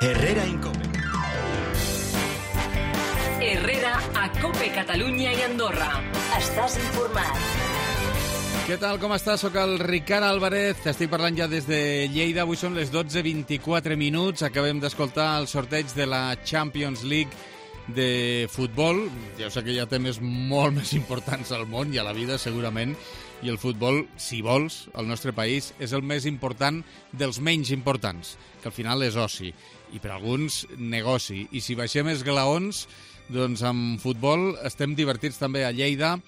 Herrera Incope. Herrera a COPE Catalunya i Andorra. Estàs informat. Què tal, com estàs? Soc el Ricard Álvarez, t'estic parlant ja des de Lleida. Avui són les 12:24 minuts. Acabem d'escoltar el sorteig de la Champions League de futbol. Ja sé que hi ha temes molt més importants al món i a la vida, segurament, i el futbol, si vols, al nostre país, és el més important dels menys importants, que al final és oci, i per alguns negoci. I si baixem esglaons, doncs amb futbol estem divertits també a Lleida.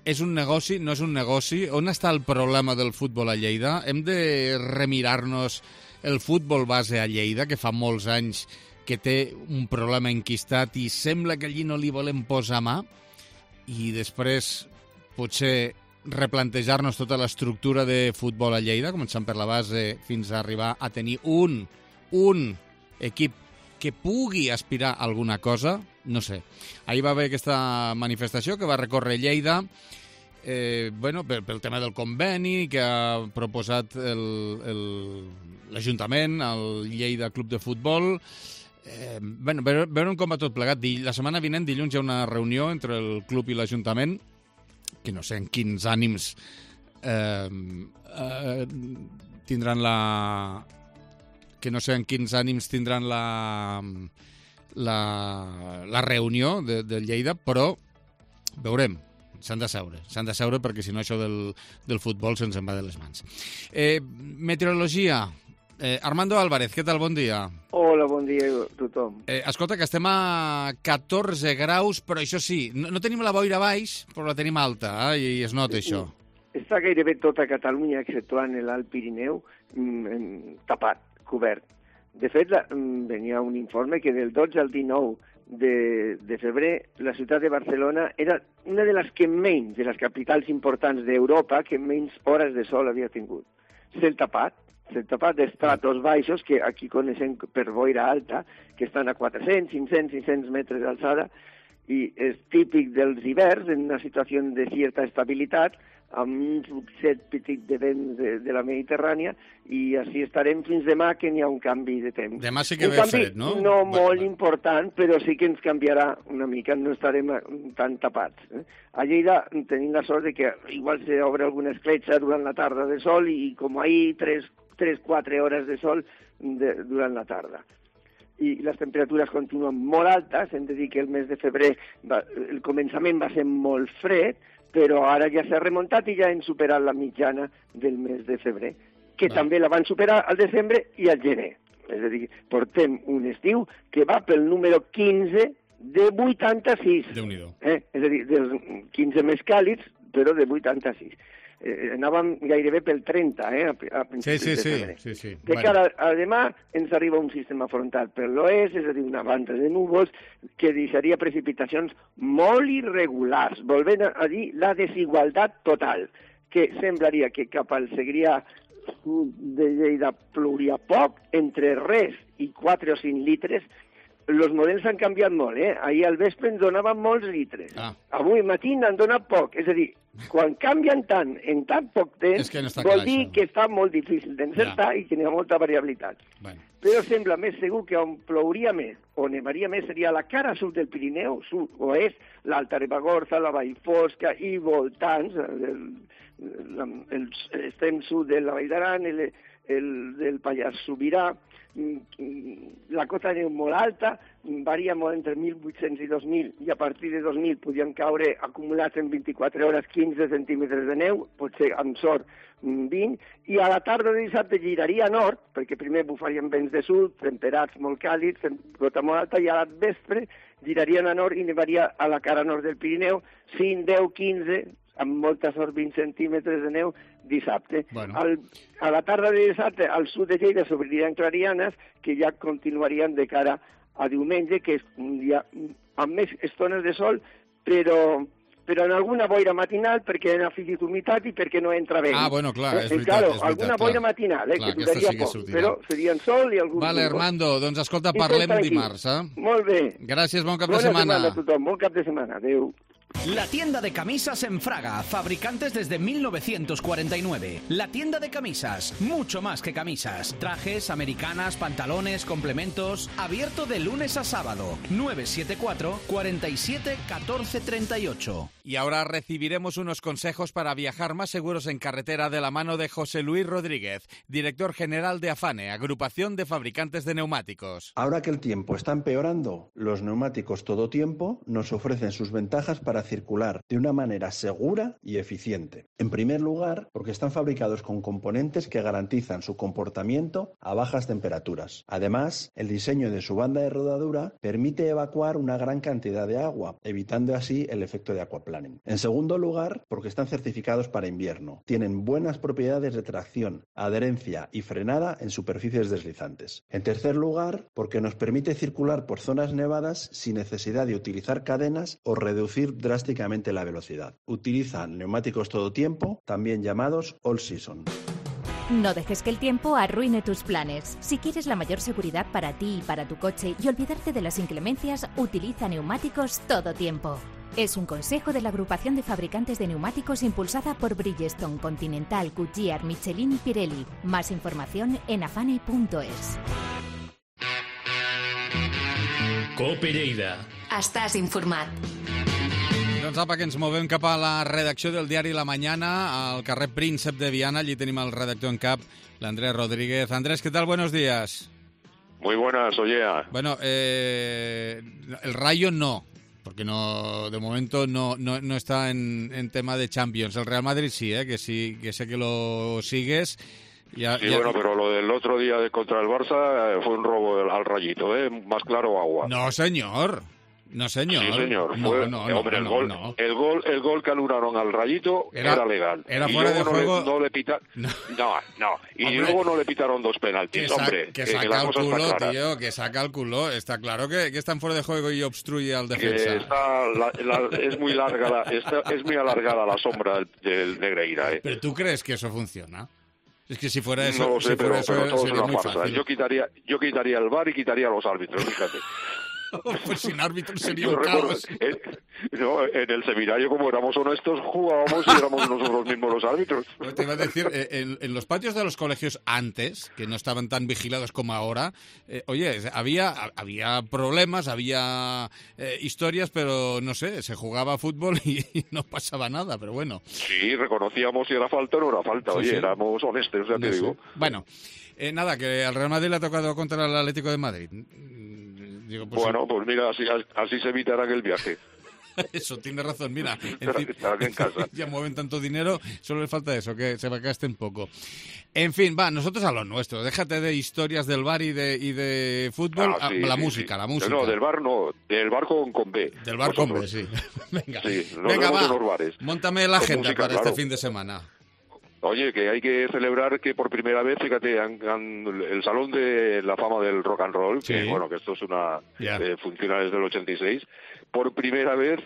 És un negoci? No és un negoci? On està el problema del futbol a Lleida? Hem de remirar-nos el futbol base a Lleida, que fa molts anys que té un problema enquistat i sembla que allí no li volem posar mà, i després potser replantejar-nos tota l'estructura de futbol a Lleida, començant per la base fins a arribar a tenir un equip que pugui aspirar a alguna cosa, no sé. Ahir va haver aquesta manifestació que va recórrer Lleida, pel tema del conveni que ha proposat l'Ajuntament, el Lleida Club de Futbol. Veurem com va tot plegat. La setmana vinent, dilluns, hi ha una reunió entre el club i l'Ajuntament, que no sé en quins ànims tindran la reunió de Lleida, però veurem. S'han de seure perquè si no això del futbol se'ns en va de les mans. Meteorologia. Armando Álvarez, què tal? Bon dia. Hola, bon dia a tothom. Escolta, que estem a 14 graus, però això sí, no tenim la boira baix, però la tenim alta, i es nota això. Està gairebé tota Catalunya, exceptuant l'Alt Pirineu, tapat, cobert. De fet, venia un informe que del 12 al 19 de febrer la ciutat de Barcelona era una de les que menys, de les capitals importants d'Europa, que menys hores de sol havia tingut. Cel tapat d'estratos baixos, que aquí coneixem per boira alta, que estan a 400, 500, 600 metres d'alçada, i és típic dels hiverns, en una situació de certa estabilitat, amb un succet petit de vents de la Mediterrània, i així estarem fins demà, que n'hi ha un canvi de temps. Demà sí que ve fred, no? No molt important, però sí que ens canviarà una mica, no estarem tan tapats. A Lleida tenim la sort de que igual s'obre alguna escletxa durant la tarda de sol, i com ahir 3-4 hores de sol durant la tarda. I les temperatures continuen molt altes. Hem de dir que el mes de febrer el començament va ser molt fred, però ara ja s'ha remuntat i ja hem superat la mitjana del mes de febrer, que també la van superar al desembre i al gener. És a dir, portem un estiu que va pel número 15 de 86. Déu-n'hi-do. És a dir, dels 15 més càlids, però de 86. Anàvem gairebé pel 30, a principis de febrer. Sí. De cara a demà ens arriba un sistema frontal per l'oest, és a dir, una banda de núvols que deixaria precipitacions molt irregulars, volvent a dir la desigualtat total, que semblaria que cap al Segrià sud de Lleida plouria poc, entre res i 4 o 5 litres. Els models han canviat molt, Ahir al vespre ens donaven molts litres. Avui matí n'han donat poc. És a dir, quan canvien tant en tan poc temps, vol dir que està molt difícil d'encertar i que n'hi ha molta variabilitat. Però sembla més segur que on plouria més o nevaria més seria la cara sud del Pirineu, sud-oest, l'Alta Ribagorça, la Vall Fosca i voltants, l'extrem sud de la Vall d'Aran, del Pallars Sobirà, la cota de neu molt alta, varia molt entre 1.800 i 2.000, i a partir de 2.000 podien caure acumulats en 24 hores 15 centímetres de neu, potser amb sort 20, i a la tarda de dissabte giraria a nord, perquè primer bufarien vents de sud, temperats molt càlids, cota molt alta, i a la vespre girarien a nord i nevaria a la cara nord del Pirineu 5, 10, 15, amb molta sort 20 centímetres de neu dissabte. A la tarda de dissabte al sud de Lleida s'obririen clarianes que ja continuarien de cara a diumenge, que és un dia amb més estones de sol, però en alguna boira matinal perquè han afegit humitat i perquè no entra vent. Clar, és veritat. Alguna boira matinal, que duraria poc, però serien sol i algun... Vale, Armando, doncs escolta, parlem dimarts. Molt bé. Gràcies, bon cap de setmana. Bona setmana a tothom, bon cap de setmana. Adéu. La tienda de camisas en Fraga, fabricantes desde 1949. La tienda de camisas, mucho más que camisas. Trajes, americanas, pantalones, complementos. Abierto de lunes a sábado. 974 47 14 38. Y ahora recibiremos unos consejos para viajar más seguros en carretera de la mano de José Luis Rodríguez, director general de AFANE, Agrupación de Fabricantes de Neumáticos. Ahora que el tiempo está empeorando, los neumáticos todo tiempo nos ofrecen sus ventajas para circular de una manera segura y eficiente. En primer lugar, porque están fabricados con componentes que garantizan su comportamiento a bajas temperaturas. Además, el diseño de su banda de rodadura permite evacuar una gran cantidad de agua, evitando así el efecto de aquaplaning. En segundo lugar, porque están certificados para invierno. Tienen buenas propiedades de tracción, adherencia y frenada en superficies deslizantes. En tercer lugar, porque nos permite circular por zonas nevadas sin necesidad de utilizar cadenas o reducir drásticamente la velocidad. Utilizan neumáticos todo tiempo, también llamados all season. No dejes que el tiempo arruine tus planes. Si quieres la mayor seguridad para ti y para tu coche y olvidarte de las inclemencias, utiliza neumáticos todo tiempo. Es un consejo de la Agrupación de Fabricantes de Neumáticos impulsada por Bridgestone, Continental, Goodyear, Michelin y Pirelli. Más información en afane.es. Cope Lleida. Estàs informat. Doncs apa, que ens movem cap a la redacció del diari La Mañana, al carrer Príncep de Viana. Allí tenim el redactor en cap, l'Andrés Rodríguez. Andrés, ¿qué tal? Buenos días. Muy buenas, Ollea. Bueno, el Rayo no, porque no, de momento no está en tema de Champions. El Real Madrid sí, que sí, que sé que lo sigues. Bueno, pero lo del otro día contra el Barça fue un robo al Rayito, más claro agua. No, señor. No, señor. Sí, señor. Hombre, el gol que anularon al Rayito era legal. Era fuera de juego. No le pitaron. No. Y hombre, luego no le pitaron 2 penaltis, hombre. Que saca el culo, tío, que saca el culo. Está claro que están fuera de juego y obstruye al defensa. Es muy larga es muy alargada la sombra del Negreira. ¿Pero tú crees que eso funciona? Es que si fuera eso, no lo sé, pero todo es una farsa. Fácil. Yo quitaría el VAR y quitaría a los árbitros, fíjate. Pues sin árbitros sería un caos. En el seminario, como éramos honestos, jugábamos y éramos nosotros mismos los árbitros. Pues te iba a decir, en los patios de los colegios antes, que no estaban tan vigilados como ahora, había problemas, había historias, pero no sé, se jugaba fútbol y no pasaba nada, pero bueno. Sí, reconocíamos si era falta o no era falta. Sí, Oye, sí. Éramos honestos, ya te digo. Bueno, nada, que al Real Madrid le ha tocado contra el Atlético de Madrid. Digo, pues pues mira, así se evitará aquel viaje. Eso, tiene razón, mira. Estarán en casa. Ya mueven tanto dinero, solo le falta eso, que se gasten poco. En fin, nosotros a lo nuestro. Déjate de historias del bar y de fútbol. La música. No, del bar no, del bar con B. Del bar con B, sí. Venga, sí, venga, va. En los bares. Móntame la agenda música, para este fin de semana. Oye, que hay que celebrar que por primera vez, fíjate, el Salón de la Fama del Rock and Roll, sí. que esto es funciona desde el 86, por primera vez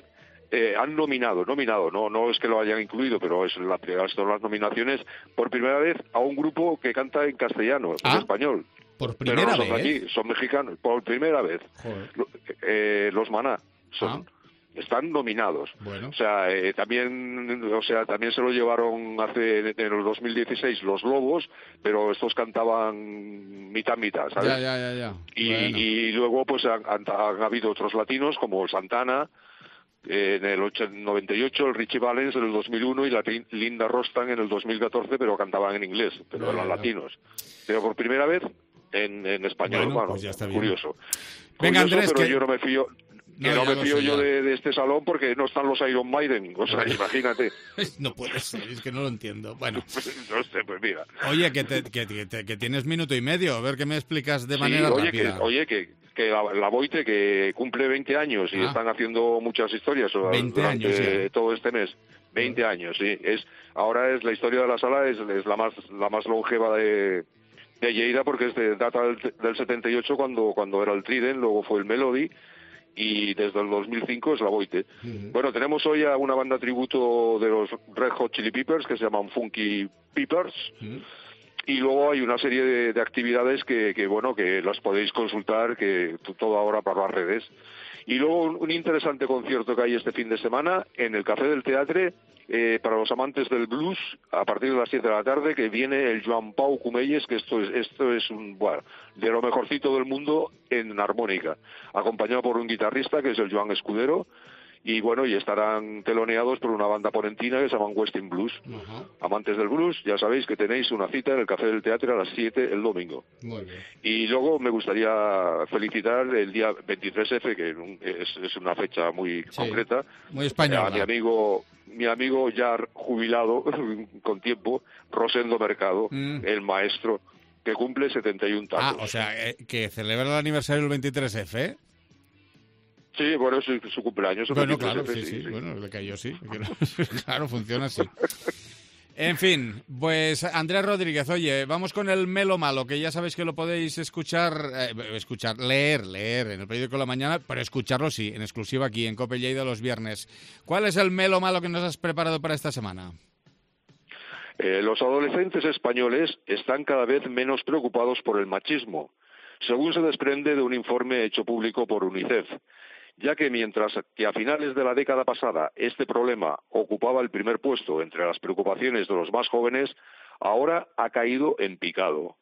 han nominado, no es que lo hayan incluido, pero son las nominaciones, por primera vez a un grupo que canta en castellano, en español. ¿Por primera vez? Aquí, son mexicanos, por primera vez. Los Maná están nominados. Bueno. O sea, también se lo llevaron en el 2016 los Lobos, pero estos cantaban mitad, ¿sabes? Ya. Y luego pues han habido otros latinos como Santana en el 98, el Richie Valens en el 2001 y la Linda Rostan en el 2014, pero cantaban en inglés, pero eran latinos. Pero por primera vez en español, pues ya está bien. Curioso. Venga, Andrés, pero yo no me fío. No me fío yo de este salón porque no están los Iron Maiden, o sea, imagínate. No puede ser, es que no lo entiendo. Bueno. No sé, pues mira. Oye, que tienes minuto y medio, a ver qué me explicas de manera rápida. Que la Boite, que cumple 20 años y están haciendo muchas historias 20 años, todo este mes. 20 años, sí. Ahora es la historia de la sala, es la más longeva de Lleida, porque data del 78 cuando era el Trident, luego fue el Melody, y desde el 2005 es la Boite. Bueno, tenemos hoy a una banda tributo de los Red Hot Chili Peppers que se llaman Funky Peppers. Y luego hay una serie de actividades que las podéis consultar, que todo ahora por las redes. Y luego un interesante concierto que hay este fin de semana en el Café del Teatre, para los amantes del blues, a partir de las 7 de la tarde, que viene el Joan Pau Cumelles, que esto es de lo mejorcito del mundo en armónica, acompañado por un guitarrista que es el Joan Escudero, y estarán teloneados por una banda ponentina que se llama Westin Blues. Amantes del blues, ya sabéis que tenéis una cita en el Café del Teatre a las 7 el domingo. Muy bien. Y luego me gustaría felicitar el día 23F, que es una fecha muy concreta, muy española. A mi amigo ya jubilado con tiempo, Rosendo Mercado, el maestro, que cumple 71 tacos. O sea, que celebra el aniversario del 23F, ¿eh? Sí, bueno, es su cumpleaños. Bueno, claro, sí. Bueno, le cayó, sí. Claro, funciona así. En fin, pues Andrés Rodríguez, oye, vamos con el Melo Malo, que ya sabéis que lo podéis leer en el periódico de la mañana, pero escucharlo sí, en exclusiva aquí en COPE Lleida los viernes. ¿Cuál es el Melo Malo que nos has preparado para esta semana? Los adolescentes españoles están cada vez menos preocupados por el machismo, según se desprende de un informe hecho público por UNICEF, ya que mientras que a finales de la década pasada este problema ocupaba el primer puesto entre las preocupaciones de los más jóvenes, ahora ha caído en picado.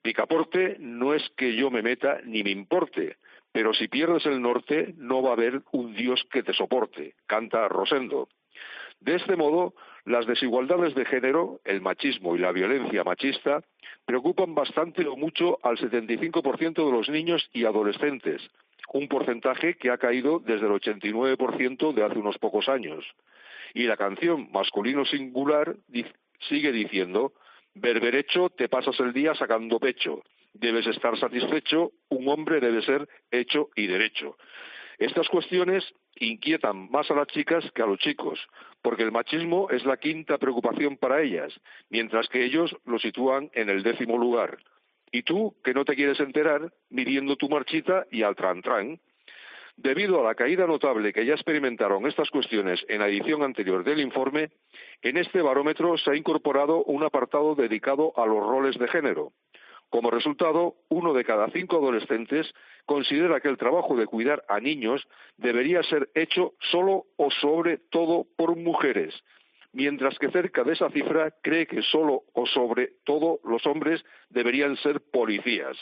Picaporte no es que yo me meta ni me importe, pero si pierdes el norte no va a haber un Dios que te soporte, canta Rosendo. De este modo, las desigualdades de género, el machismo y la violencia machista preocupan bastante o mucho al 75% de los niños y adolescentes, un porcentaje que ha caído desde el 89% de hace unos pocos años. Y la canción Masculino Singular sigue diciendo: berberecho, te pasas el día sacando pecho, debes estar satisfecho, un hombre debe ser hecho y derecho. Estas cuestiones inquietan más a las chicas que a los chicos, porque el machismo es la quinta preocupación para ellas, mientras que ellos lo sitúan en el 10º lugar. Y tú, que no te quieres enterar, midiendo tu marchita y al tran-tran. Debido a la caída notable que ya experimentaron estas cuestiones en la edición anterior del informe, en este barómetro se ha incorporado un apartado dedicado a los roles de género. Como resultado, 1 de cada 5 adolescentes considera que el trabajo de cuidar a niños debería ser hecho solo o sobre todo por mujeres, mientras que cerca de esa cifra cree que solo o sobre todo los hombres deberían ser policías.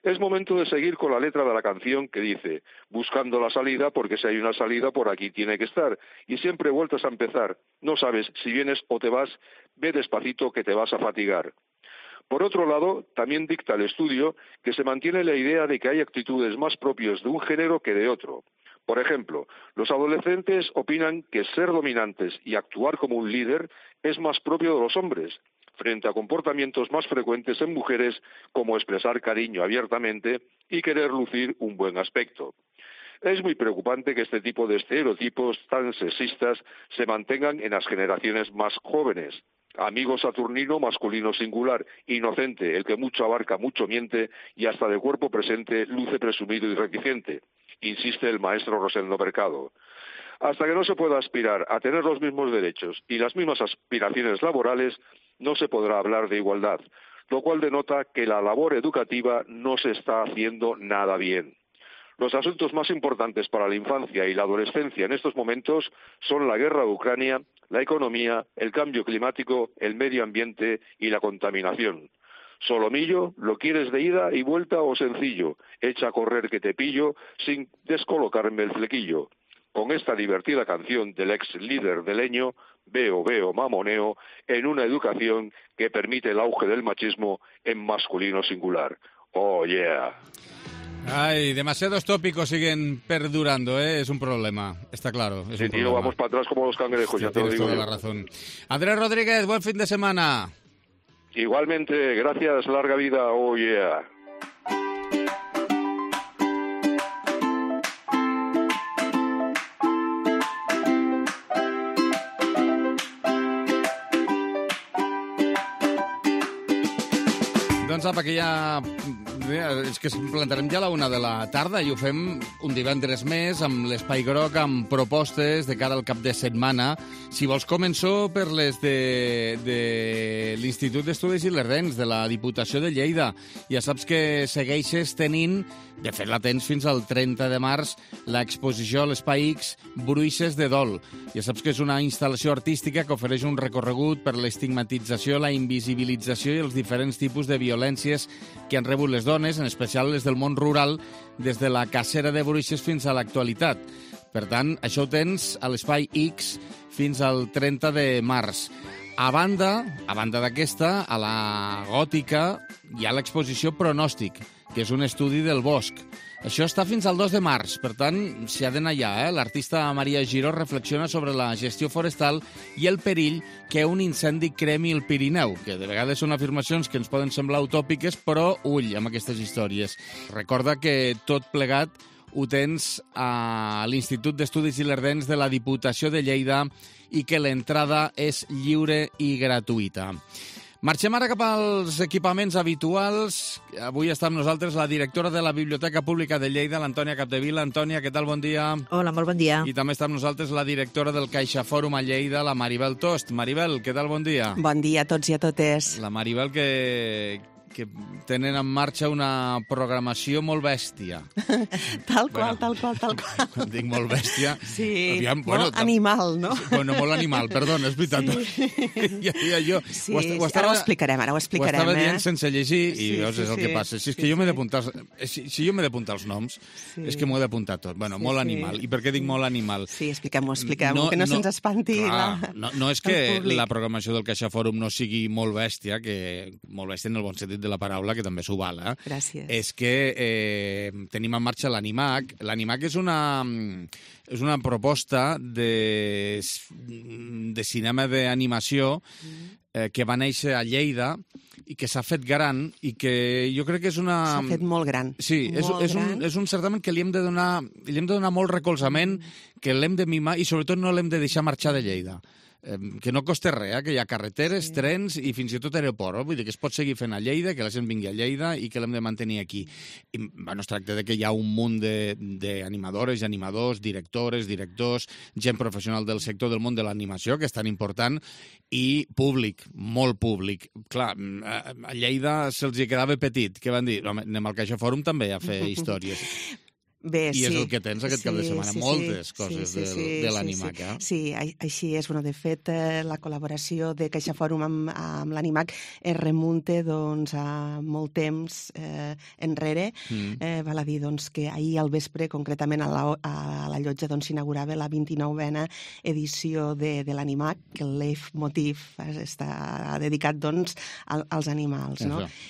Es momento de seguir con la letra de la canción que dice: buscando la salida, porque si hay una salida por aquí tiene que estar, y siempre vueltas a empezar, no sabes si vienes o te vas, ve despacito que te vas a fatigar. Por otro lado, también dicta el estudio que se mantiene la idea de que hay actitudes más propias de un género que de otro. Por ejemplo, los adolescentes opinan que ser dominantes y actuar como un líder es más propio de los hombres, frente a comportamientos más frecuentes en mujeres como expresar cariño abiertamente y querer lucir un buen aspecto. Es muy preocupante que este tipo de estereotipos tan sexistas se mantengan en las generaciones más jóvenes. Amigo saturnino, masculino singular, inocente, el que mucho abarca, mucho miente, y hasta de cuerpo presente luce presumido y reticente, insiste el maestro Rosendo Mercado. Hasta que no se pueda aspirar a tener los mismos derechos y las mismas aspiraciones laborales, no se podrá hablar de igualdad, lo cual denota que la labor educativa no se está haciendo nada bien. Los asuntos más importantes para la infancia y la adolescencia en estos momentos son la guerra de Ucrania, la economía, el cambio climático, el medio ambiente y la contaminación. Solomillo, ¿lo quieres de ida y vuelta o sencillo? Echa a correr que te pillo sin descolocarme el flequillo. Con esta divertida canción del ex líder de Leño, veo, mamoneo, en una educación que permite el auge del machismo en masculino singular. ¡Oh, yeah! Ay, demasiados tópicos siguen perdurando, ¿eh? Es un problema, está claro. Es sí, un tío, problema. vamos para atrás como los cangrejos, ya te lo digo. Tienes toda la razón. Andrés Rodríguez, buen fin de semana. Igualmente, gracias, larga vida, oh yeah. Doncs apa, que ja És que ens plantarem ja a la 1 de la tarda i ho fem un divendres més amb l'Espai Groc, amb propostes de cara al cap de setmana. Si vols, començo per les de l'Institut d'Estudis Ilerdencs, de la Diputació de Lleida. Ja saps que segueixes tenint, de fet la tens fins al 30 de març, l'exposició a l'Espai X Bruixes de Dol. Ja saps que és una instal·lació artística que ofereix un recorregut per l'estigmatització, la invisibilització i els diferents tipus de violències que han rebut les dones, en especial les del món rural, des de la cacera de bruixes fins a l'actualitat. Per tant, això ho tens a l'Espai X fins al 30 de març. A banda d'aquesta, a la Gòtica hi ha l'exposició Pronòstic, que és un estudi del bosc. Això està fins al 2 de març, per tant, s'hi ha d'anar allà. L'artista Maria Giró reflexiona sobre la gestió forestal i el perill que un incendi cremi el Pirineu, que de vegades són afirmacions que ens poden semblar utòpiques, però ull amb aquestes històries. Recorda que tot plegat ho tens a l'Institut d'Estudis Ilerdencs de la Diputació de Lleida i que l'entrada és lliure i gratuïta. Marxem ara cap als equipaments habituals. Avui està amb nosaltres la directora de la Biblioteca Pública de Lleida, l'Antònia Capdevila. Antònia, què tal? Bon dia. Hola, molt bon dia. I també està amb nosaltres la directora del CaixaFòrum a Lleida, la Maribel Tost. Maribel, què tal? Bon dia. Bon dia a tots i a totes. La Maribel que tenen en marxa una programació molt bèstia. Tal qual. Quan dic molt bèstia... Sí, aviam, molt animal, no? Bueno, molt animal, perdona, és veritat. Sí. Jo, sí, ara ho explicarem. Ho estava dient sense llegir i veus, és el que passa. Si és que jo m'he d'apuntar... Si jo m'he d'apuntar els noms, és que m'ho he d'apuntar tot. Bueno, molt animal. I per què dic molt animal? Sí, expliquem-ho, que no se'ns espanti. No és que la programació del CaixaFòrum no sigui molt bèstia, que molt bèstia en el bon sentit de la paraula, que també s'ho val. Gràcies. És que tenim en marxa l'Animac. L'Animac és una proposta de cinema d'animació que va néixer a Lleida i que s'ha fet gran i que jo crec que és una... S'ha fet molt gran. Sí, és un certamen que li hem de donar molt recolzament, que l'hem de mimar i sobretot no l'hem de deixar marxar de Lleida. Que no costa res, que hi ha carreteres, trens i fins i tot aeroport. Vull dir que es pot seguir fent a Lleida, que la gent vingui a Lleida i que l'hem de mantenir aquí. I, es tracta de que hi ha un munt d'animadores i animadors, directores, directors, gent professional del sector del món de l'animació, que és tan important, i públic, molt públic. Clar, a Lleida se'ls hi quedava petit. Què van dir? Anem al CaixaFòrum també a fer històries. Bé, I és el que tens aquest cap de setmana, moltes coses de l'Animac. Sí, així és. De fet, la col·laboració de CaixaFòrum amb l'Animac es remunta a molt temps enrere. Val a dir que ahir al vespre, concretament a la llotja, s'inaugurava la 29a edició de l'Animac, que el leitmotiv està dedicat als animals.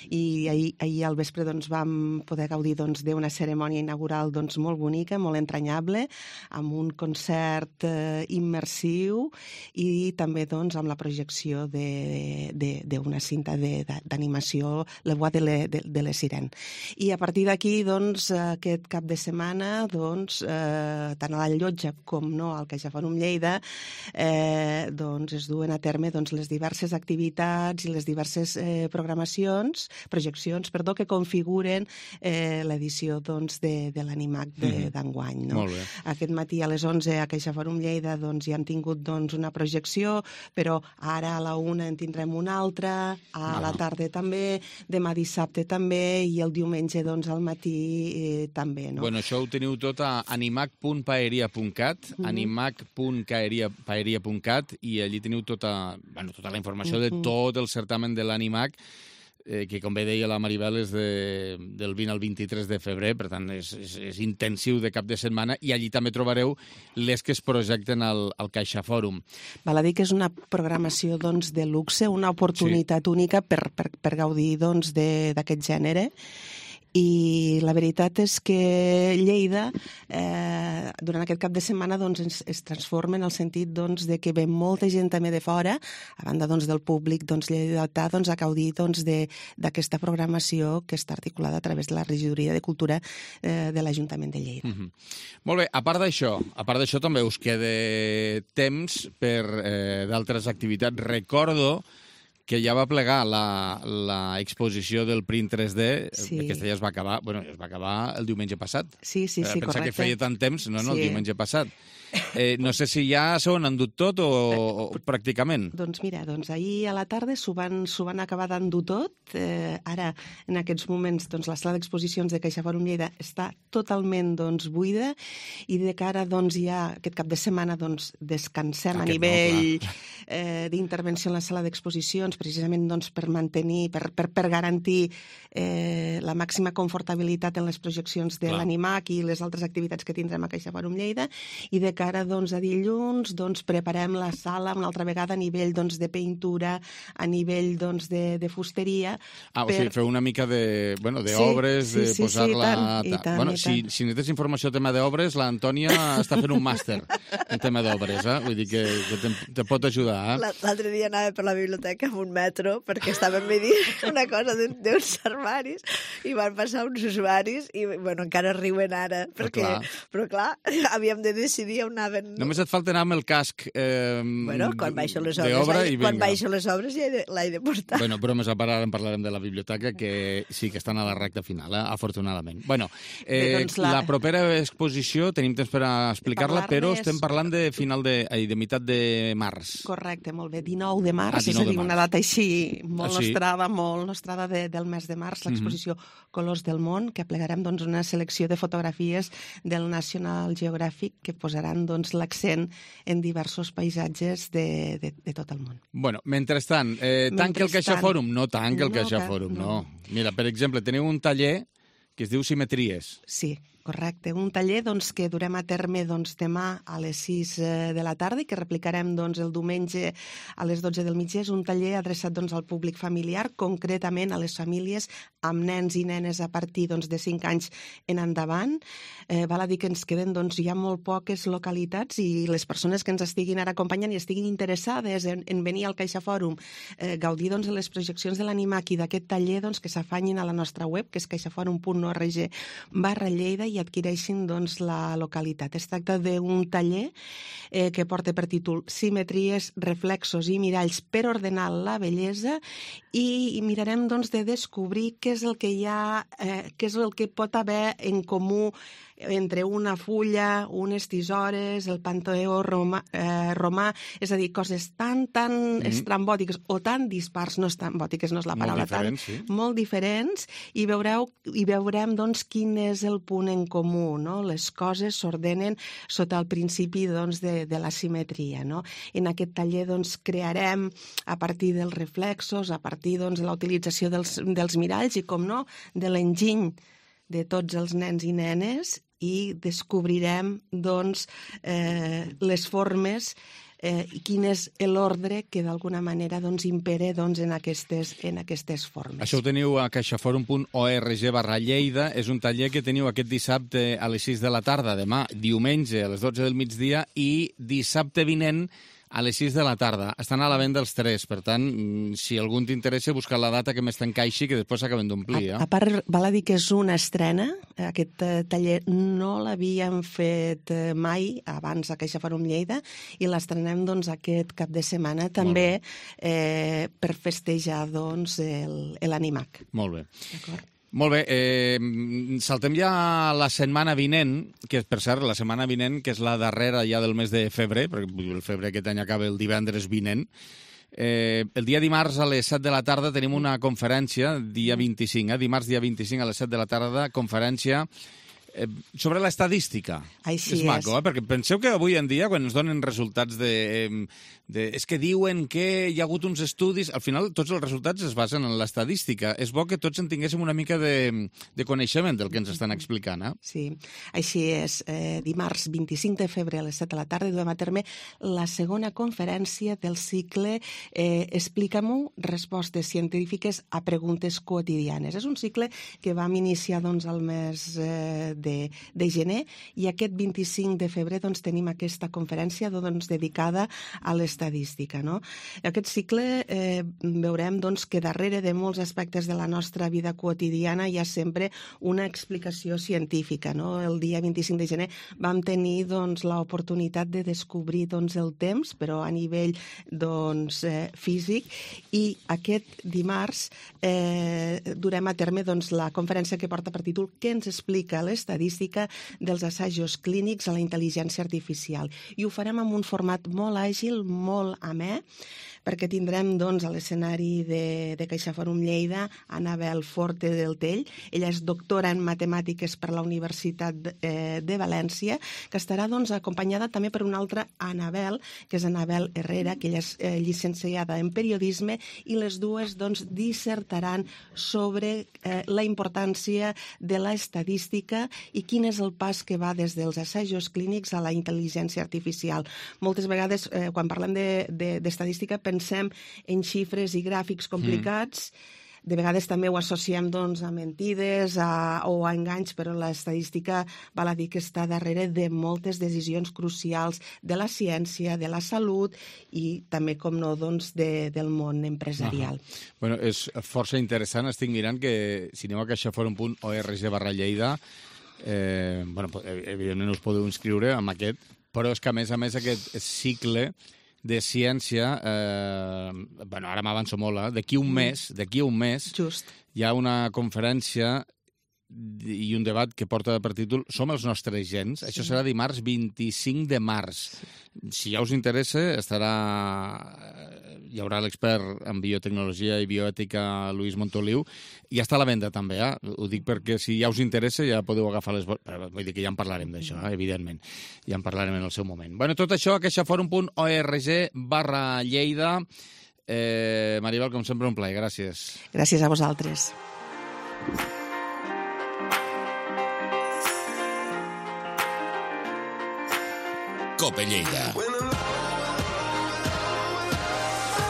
I ahir al vespre vam poder gaudir d'una cerimònia inaugural molt bonica, molt entranyable, amb un concert immersiu i també amb la projecció d'una cinta d'animació, Le Bois de les Sirènes. I a partir d'aquí, aquest cap de setmana, tant a la llotja com al CaixaFòrum Lleida, es duen a terme les diverses activitats i les diverses projeccions que configuren l'edició de l'Animac d'enguany. Aquest matí a les 11 a CaixaFòrum Lleida ja hem tingut una projecció, però ara a la 1 en tindrem una altra, a la tarda també, demà dissabte també i el diumenge al matí també. Bueno, això ho teniu tot a animac.paeria.cat, animac.paeria.cat, i allí teniu tota la informació de tot el certamen de l'Animac, que, com bé deia la Maribel, és del 20 al 23 de febrer, per tant, és intensiu de cap de setmana, i allí també trobareu les que es projecten al CaixaFòrum. Val a dir que és una programació de luxe, una oportunitat única per gaudir d'aquest gènere. I la veritat és que Lleida, durant aquest cap de setmana, es transforma en el sentit de que ve molta gent també de fora, a banda del públic lleidatà, a gaudir d'aquesta programació que està articulada a través de la Regidoria de Cultura de l'Ajuntament de Lleida. Molt bé, a part d'això també us queda temps per d'altres activitats. Recordo que ja va plegar l'exposició del print 3D, aquesta ja es va acabar, es va acabar el diumenge passat. Sí, correcte. Pensar que feia tant temps, no, el diumenge passat. No sé si ja s'ho han endut tot o pràcticament. Doncs mira, ahir a la tarda s'ho van acabar d'endur tot. Ara, en aquests moments, la sala d'exposicions de CaixaForum Lleida està totalment buida i de cara ja aquest cap de setmana descansem a nivell d'intervenció en la sala d'exposicions, precisament per mantenir, per garantir la màxima confortabilitat en les projeccions de l'Animac i les altres activitats que tindrem a CaixaForum Lleida, i de cara a dilluns preparem la sala una altra vegada a nivell de pintura, a nivell de fusteria. O sigui, feu una mica d'obres, de posar-la... Si necessites informació a tema d'obres, l'Antònia està fent un màster en tema d'obres, vull dir que te pot ajudar. L'altre dia anava per la biblioteca amb un metro perquè estàvem veient una cosa d'uns armaris i van passar uns usuaris i encara riuen ara, però clar, havíem de decidir on anaven... Només et falta anar amb el casc quan baixo les obres ja l'he de portar. Bromes a part, ara en parlarem de la biblioteca, que sí que estan a la recta final, afortunadament. La propera exposició tenim temps per explicar-la, però estem parlant de meitat de març. Correcte, molt bé, 19 de març, és a dir, una data així molt nostrada del mes de març, l'exposició Colors del món, que plegarem una selecció de fotografies del National Geographic que posaran l'accent en diversos paisatges de tot el món. Mentrestant, tanca el CaixaForum? No tanca el CaixaForum, no. Mira, per exemple, teniu un taller que es diu Simetries. Sí, correcte. Un taller que durem a terme demà a les 6 de la tarda i que replicarem el diumenge a les 12 del migdia. És un taller adreçat al públic familiar, concretament a les famílies amb nens i nenes a partir de 5 anys en endavant. Val a dir que ens queden ja molt poques localitats i les persones que ens estiguin ara acompanyant i estiguin interessades en venir al CaixaForum, gaudir de les projeccions de l'Animac i d'aquest taller, que s'afanyin a la nostra web, que és caixaforum.org/Lleida, i adquireixin la localitat. Es tracta d'un taller que porta per títol Simetries, reflexos i miralls per ordenar la bellesa, i mirarem de descobrir què és el que hi ha, què és el que pot haver en comú entre una fulla, unes tisores, el Panteó romà, és a dir, coses tan estrambòtiques o tan dispars, no estrambòtiques, no és la paraula, molt diferents, i veurem quin és el punt en comú, no? Les coses s'ordenen sota el principi de la simetria, no? En aquest taller crearem a partir dels reflexos, a partir de la utilització dels miralls i, com no, de l'enginy de tots els nens i nenes, i descobrirem les formes i quin és l'ordre que d'alguna manera impera en aquestes formes. Això ho teniu a caixaforum.org/Lleida. És un taller que teniu aquest dissabte a les 6 de la tarda, demà diumenge a les 12 del migdia i dissabte vinent a les 6 de la tarda. Estan a la venda els tres, per tant, si algú t'interessa, busca la data que més t'encaixi, que després s'acaben d'omplir. A part, val a dir que és una estrena. Aquest taller no l'havíem fet mai abans a CaixaForum Lleida i l'estrenem aquest cap de setmana també per festejar l'Animac. Molt bé. D'acord. Molt bé, saltem ja la setmana vinent, que per cert, la setmana vinent, que és la darrera ja del mes de febrer, perquè el febrer aquest any acaba el divendres vinent. El dia dimarts a les 7 de la tarda tenim una conferència, dia 25, dimarts dia 25 a les 7 de la tarda, conferència sobre l'estadística. Així és maco, perquè penseu que avui en dia, quan ens donen resultats és que diuen que hi ha hagut uns estudis, al final tots els resultats es basen en l'estadística. És bo que tots en tinguéssim una mica de coneixement del que ens estan explicant. Sí, així és. Dimarts 25 de febrer a les 7 de la tarda duem a terme la segona conferència del cicle Explica-m'ho, respostes científiques a preguntes quotidianes. És un cicle que vam iniciar al mes de gener, i aquest 25 de febrer doncs, tenim aquesta conferència dedicada a l'estadística. No? Aquest cicle veurem doncs, que darrere de molts aspectes de la nostra vida quotidiana hi ha sempre una explicació científica. No? El dia 25 de gener vam tenir doncs, l'oportunitat de descobrir doncs, el temps, però a nivell doncs, físic, i aquest dimarts durem a terme doncs, la conferència que porta per títol Què ens explica l'estadística dels assajos clínics a la intel·ligència artificial. I ho farem en un format molt àgil, molt amè, perquè tindrem doncs, a l'escenari de CaixaForum Lleida Anabel Forte del Tell. Ella és doctora en matemàtiques per la Universitat de València, que estarà doncs, acompanyada també per una altra Anabel, que és Anabel Herrera, que ella és llicenciada en periodisme, i les dues doncs, dissertaran sobre la importància de l'estadística i quin és el pas que va des dels assajos clínics a la intel·ligència artificial. Moltes vegades, quan parlem d'estadística, pensem en xifres i gràfics complicats. De vegades també ho associem doncs, a mentides o a enganys, però l'estadística val a dir que està darrere de moltes decisions crucials de la ciència, de la salut i també, com no, doncs, del món empresarial. Bueno, és força interessant. Estic mirant que si aneu a caixaforum.org/Lleida, evidentment us podeu inscriure amb aquest, però és que a més aquest cicle de ciència, ara m'avanço molt, d'aquí un mes Just. hi ha una conferència i un debat que porta per títol Som els nostres gens. Això serà dimarts 25 de març. Si ja us interessa, hi haurà l'expert en biotecnologia i bioètica Lluís Montoliu. Ja està a la venda també, Ho dic perquè si ja us interessa ja podeu agafar les... Vull dir que ja en parlarem d'això, evidentment. Ja en parlarem en el seu moment. Bueno, tot això a caixaforum.org/Lleida. Maribel, com sempre, un plaer. Gràcies. Gràcies a vosaltres. Cope Lleida.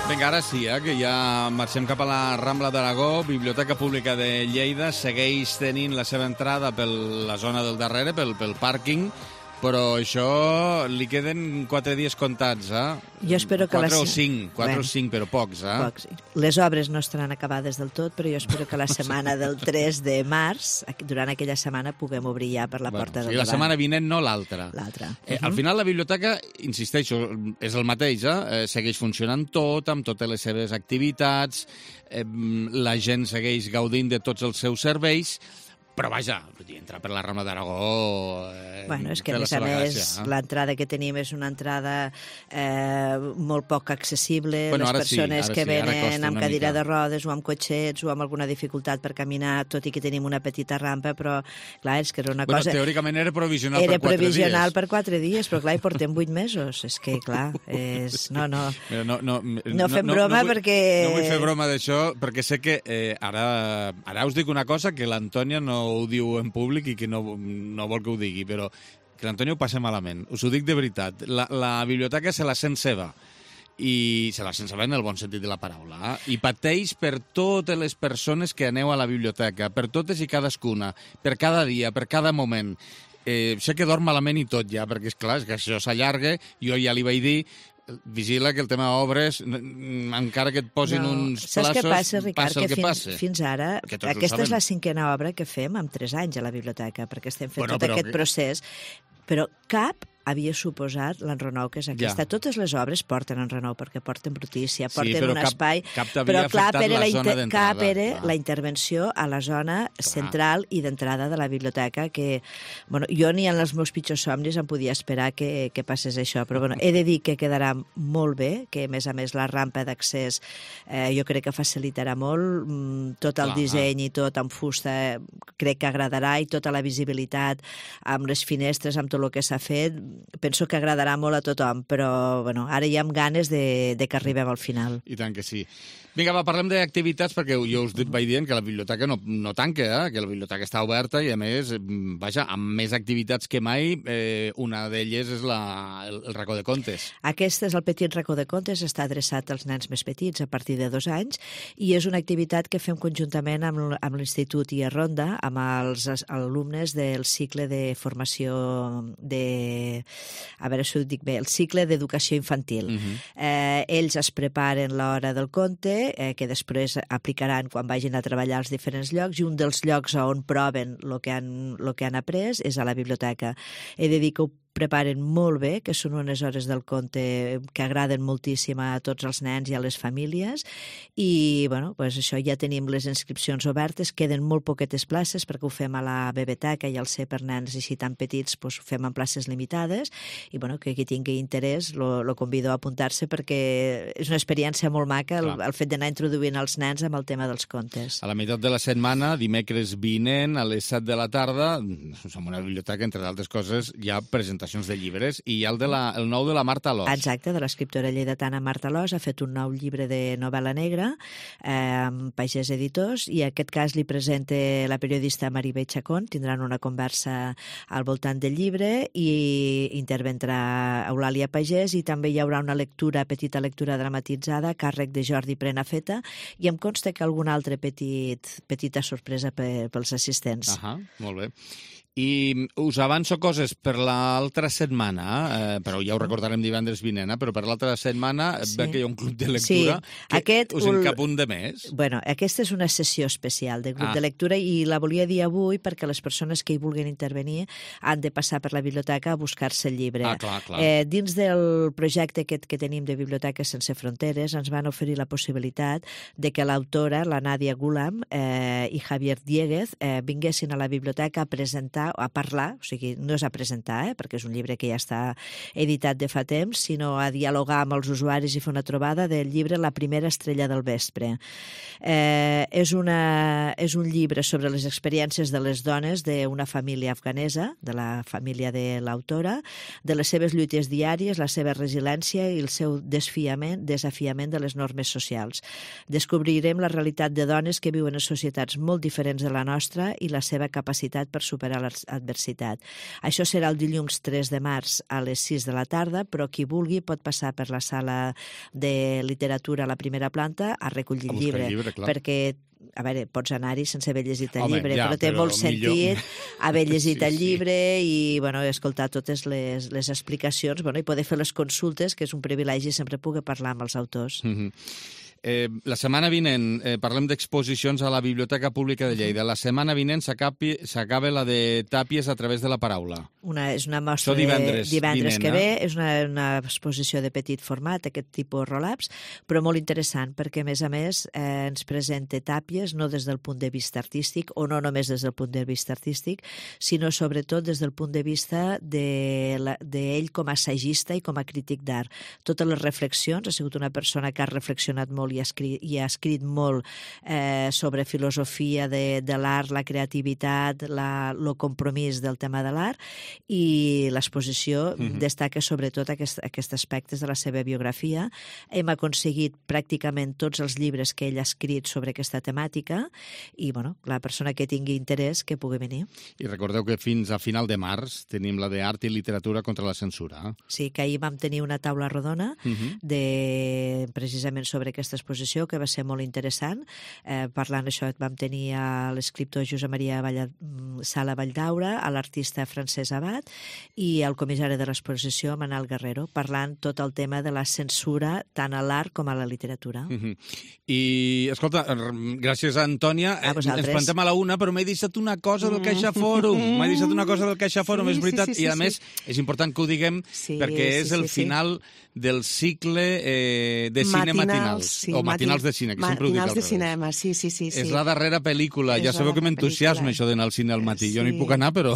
Vinga, ara sí, que ja marxem cap a la Rambla d'Aragó. Biblioteca Pública de Lleida segueix tenint la seva entrada per la zona del darrere, pel pàrquing, però això li queden 4 dies comptats, Jo espero que 4 o 5, però pocs, Pocs. Les obres no estaran acabades del tot, però jo espero que la setmana del 3 de març, durant aquella setmana, puguem obrir ja per la porta del davant. I la setmana vinent, no l'altra. Al final, la biblioteca, insisteixo, és el mateix, segueix funcionant tot, amb totes les seves activitats, la gent segueix gaudint de tots els seus serveis, però vaja, entrar per la Rambla d'Aragó... És que a més, l'entrada que tenim és una entrada molt poc accessible. Les persones que venen amb cadira de rodes o amb cotxets o amb alguna dificultat per caminar, tot i que tenim una petita rampa, però clar, és que era una cosa... Teòricament era provisional per 4 dies. Era provisional per 4 dies, però clar, hi portem 8 mesos. És que, clar, no fem broma perquè... No vull fer broma d'això, perquè sé que ara us dic una cosa que l'Antònia no ho diu en públic i que no vol que ho digui, però que l'Antònia ho passa malament. Us ho dic de veritat. La biblioteca se la sent seva, i se la sent seva en el bon sentit de la paraula, i pateix per totes les persones que aneu a la biblioteca, per totes i cadascuna, per cada dia, per cada moment. Sé que dorm malament i tot ja, perquè és clar, és que això s'allarga. Jo ja li vaig dir, vigila que el tema obres, encara que et posin uns plaços, saps què passa, Ricard? Passa el que passa. Fins ara, aquesta és la 5a obra que fem en 3 anys a la biblioteca, perquè estem fent tot aquest procés, però cap havia suposat l'enrenou que és aquesta. Totes les obres porten enrenou, perquè porten brutícia, porten un espai... Però clar, cap era la intervenció a la zona central i d'entrada de la biblioteca, que jo ni en els meus pitjors somnis em podia esperar que passés això, però he de dir que quedarà molt bé, que a més la rampa d'accés jo crec que facilitarà molt, tot el disseny i tot amb fusta crec que agradarà, i tota la visibilitat amb les finestres, amb tot el que s'ha fet, penso que agradarà molt a tothom, però bueno, ara ja amb ganes de que arribem al final. I tant que sí. Vinga, va, parlem d'activitats, perquè jo us vaig dient que la biblioteca no tanca, que la biblioteca està oberta i, a més, vaja, amb més activitats que mai, una d'elles és el racó de contes. Aquest és el petit racó de contes, està adreçat als nens més petits a partir de 2 anys i és una activitat que fem conjuntament amb l'Institut IA Ronda, amb els alumnes del cicle de formació a veure si ho dic bé, el cicle d'educació infantil. Ells es preparen l'hora del conte, que després aplicaran quan vagin a treballar als diferents llocs, i un dels llocs on proven el que han après és a la biblioteca. He de dir que ho preparen molt bé, que són unes hores del conte que agraden moltíssim a tots els nens i a les famílies, i bueno, doncs això, ja tenim les inscripcions obertes, queden molt poquetes places perquè ho fem a la biblioteca i al ser per nens així tan petits doncs ho fem en places limitades, i bueno, que qui tingui interès lo convido a apuntar-se perquè és una experiència molt maca el fet d'anar introduint els nens amb el tema dels contes. A la meitat de la setmana, dimecres vinent, a les 7 de la tarda, en una biblioteca, entre d'altres coses, hi ha presentacions de llibres, i hi ha el nou de la Marta Alòs. Exacte, de l'escriptora lleidatana Marta Alòs, ha fet un nou llibre de novel·la negra amb Pagès Editors, i en aquest cas li presenta la periodista Maribé Chacón. Tindran una conversa al voltant del llibre i intervendrà Eulàlia Pagès, i també hi haurà una petita lectura dramatitzada a càrrec de Jordi Prenafeta, i em consta que alguna altra petita sorpresa pels assistents. Molt bé. I us avanço coses per l'altra setmana, però ja ho recordarem divendres vinent, però per l'altra setmana veig que hi ha un club de lectura que us en cap un de més. Bueno, aquesta és una sessió especial de club de lectura i la volia dir avui perquè les persones que hi vulguin intervenir han de passar per la biblioteca a buscar-se el llibre. Clar. Dins del projecte que tenim de Biblioteques Sense Fronteres ens van oferir la possibilitat de que l'autora, la Nadia Gulam i Javier Dieguez vinguessin a la biblioteca a presentar, a parlar, o sigui, no és a presentar, perquè és un llibre que ja està editat de fa temps, sinó a dialogar amb els usuaris i fer una trobada del llibre La primera estrella del vespre. És un llibre sobre les experiències de les dones d'una família afganesa, de la família de l'autora, de les seves lluites diàries, la seva resiliència i el seu desafiament de les normes socials. Descobrirem la realitat de dones que viuen en societats molt diferents de la nostra i la seva capacitat per superar l'adversitat. Això serà el dilluns 3 de març a les 6 de la tarda, però qui vulgui pot passar per la sala de literatura a la primera planta a recollir el llibre, perquè a veure, pots anar-hi sense haver llegit el llibre, però té molt sentit haver llegit el llibre i escoltar totes les explicacions i poder fer les consultes, que és un privilegi sempre poder parlar amb els autors. La setmana vinent parlem d'exposicions a la Biblioteca Pública de Lleida. La setmana vinent s'acaba la de Tàpies a través de la paraula. És una mostra divendres que ve. És una exposició de petit format, aquest tipus roll-ups, però molt interessant, perquè a més ens presenta Tàpies no des del punt de vista artístic, o no només des del punt de vista artístic, sinó sobretot des del punt de vista d'ell com a assagista i com a crític d'art. Totes les reflexions, ha sigut una persona que ha reflexionat molt i ha escrit molt sobre filosofia de l'art, la creativitat, el compromís del tema de l'art, i l'exposició destaca sobretot aquests aspectes de la seva biografia. Hem aconseguit pràcticament tots els llibres que ell ha escrit sobre aquesta temàtica i la persona que tingui interès que pugui venir. I recordeu que fins a final de març tenim la d'Art i Literatura contra la Censura. Sí, que ahir vam tenir una taula rodona precisament sobre aquesta exposició, que va ser molt interessant. Parlant d'això, vam tenir a l'escriptor Josep Maria Sala Valldaura, a l'artista Francesc Abad i al comissari de l'exposició, Manel Guerrero, parlant tot el tema de la censura tant a l'art com a la literatura. I, escolta, gràcies a Antònia. Ens plantem a la una, però m'he deixat una cosa del CaixaForum. És veritat, i a més és important que ho diguem perquè és el final del cicle de cine matinals. o Matinals de cine, que sempre ho dic al revés. Matinals de cinema, sí. És la darrera pel·lícula. Ja sabeu que m'entusiasma això d'anar al cine al matí. Jo no hi puc anar, però,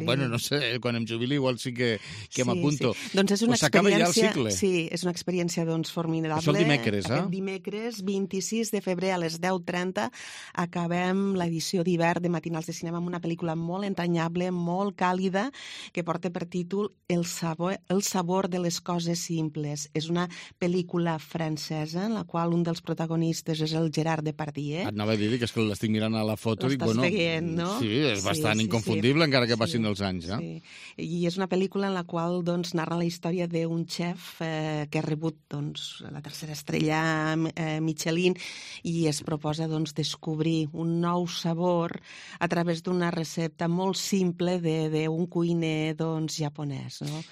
bueno, no sé, quan em jubili igual sí que m'apunto. Doncs és una s'acaba ja el cicle. Sí, és una experiència doncs formidable. Això el dimecres, Aquest dimecres, 26 de febrer a les 10:30, acabem l'edició d'hivern de Matinals de cinema amb una pel·lícula molt entranyable, molt càlida, que porta per títol El sabor de les coses simples. És una pel·lícula francesa en la qual un dels protagonistes és el Gerard Depardieu. Et anava a dir que és que l'estic mirant a la foto i dic, bueno, veient, no? Sí, és bastant inconfundible encara que passin els anys. Sí. I és una pel·lícula en la qual doncs, narra la història d'un xef que ha rebut doncs, la tercera estrella Michelin i es proposa doncs, descobrir un nou sabor a través d'una recepta molt simple d'un cuiner doncs, japonès, no?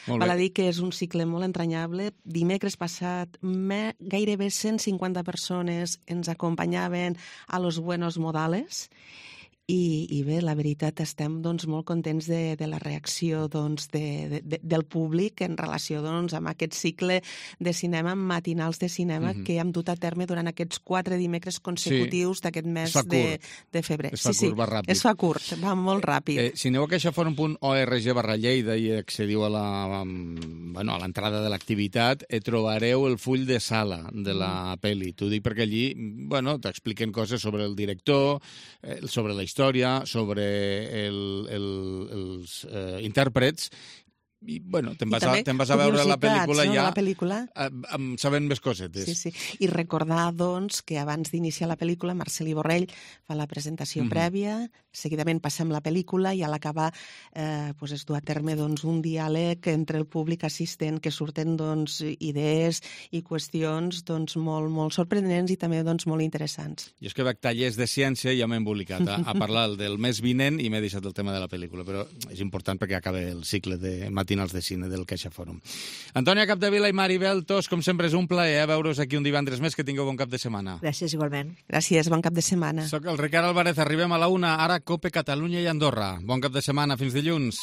Val a dir que és un cicle molt entranyable. Dimecres passat gairebé 150 persones ens acompanyaven a Los Buenos Modales i bé, la veritat, estem doncs, molt contents de la reacció doncs, del públic en relació doncs, amb aquest cicle de cinema, matinals de cinema, que hem dut a terme durant aquests 4 dimecres consecutius d'aquest mes de febrer. Es fa curt, va ràpid. Es fa curt, va molt ràpid. Si aneu a caixaforum.org/Lleida i accediu a l'entrada de l'activitat, trobareu el full de sala de la pel·li. T'ho dic perquè allí t'expliquen coses sobre el director, sobre la història, sobre els intèrprets, i, bueno, te'n vas a veure la pel·lícula ja sabent més cosetes. Sí. I recordar, doncs, que abans d'iniciar la pel·lícula, Marcel·lí Borrell fa la presentació prèvia, seguidament passem la pel·lícula i a l'acabar es du a terme doncs, un diàleg entre el públic assistent que surten doncs, idees i qüestions doncs, molt, molt sorprenents i també doncs, molt interessants. Jo és que veig tallers de ciència i ja m'he embolicat a parlar del mes vinent i m'he deixat el tema de la pel·lícula, però és important perquè acaba el cicle de matinals de cine del CaixaForum. Antònia Capdevila i Maribel Tos, com sempre és un plaer veure's aquí un divendres més, que tingueu bon cap de setmana. Gràcies, igualment. Gràcies, bon cap de setmana. Soc el Ricard Álvarez, arribem a la 1, ara Cope Catalunya i Andorra. Bon cap de setmana, fins dilluns.